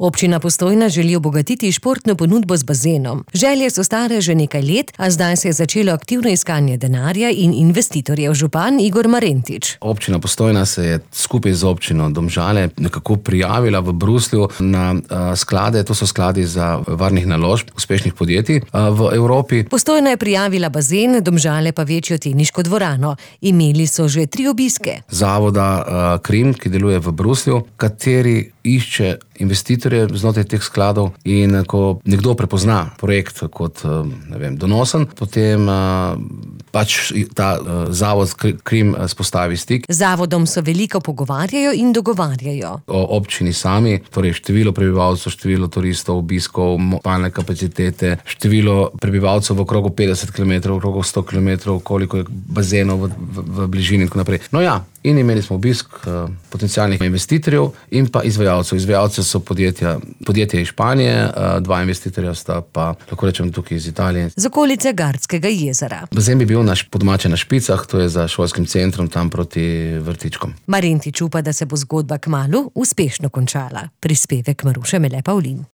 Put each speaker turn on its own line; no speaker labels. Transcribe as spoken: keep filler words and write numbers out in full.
Občina Postojna želi obogatiti športno ponudbo z bazenom. Želje so stare že nekaj let, a zdaj se je začelo aktivno iskanje denarja in investitorjev. Župan Igor Marentič.
Občina Postojna se je skupaj z občino Domžale nekako prijavila v Bruslju na uh, sklade, to so skladi za varnih naložb uspešnih podjetij uh, v Evropi.
Postojna je prijavila bazen, Domžale pa večjo teniško dvorano. Imeli so že tri obiske.
Zavoda uh, Krim, ki deluje v Bruslju, kateri išče investitorje znotraj teh skladov, in ko nekdo prepozna projekt kot, ne vem, donosen, potem pač ta zavod Krim spostavi stik.
Z zavodom so veliko pogovarjajo in dogovarjajo.
O občini sami, torej število prebivalcev, število turistov, obiskov, spalne kapacitete, število prebivalcev v okrogu petdeset kilometrov, v okrogu sto kilometrov, koliko je bazenov v, v, v bližini in tako naprej. No ja, in imeli smo obisk uh, potencialnih investitorjev in pa izvajalcev. Izvajalce so podjetja, podjetje iz Španije, uh, dva investitorja sta pa, lahko rečem, tukaj iz Italije.
Z okolice Gardskega jezera.
Bazen bi bil naš podomače na Špicah, to je za šolskim centrom tam proti vrtičkom.
Marentič upa, da se bo zgodba kmalu uspešno končala. Prispevek Maruše Mele Pavlin.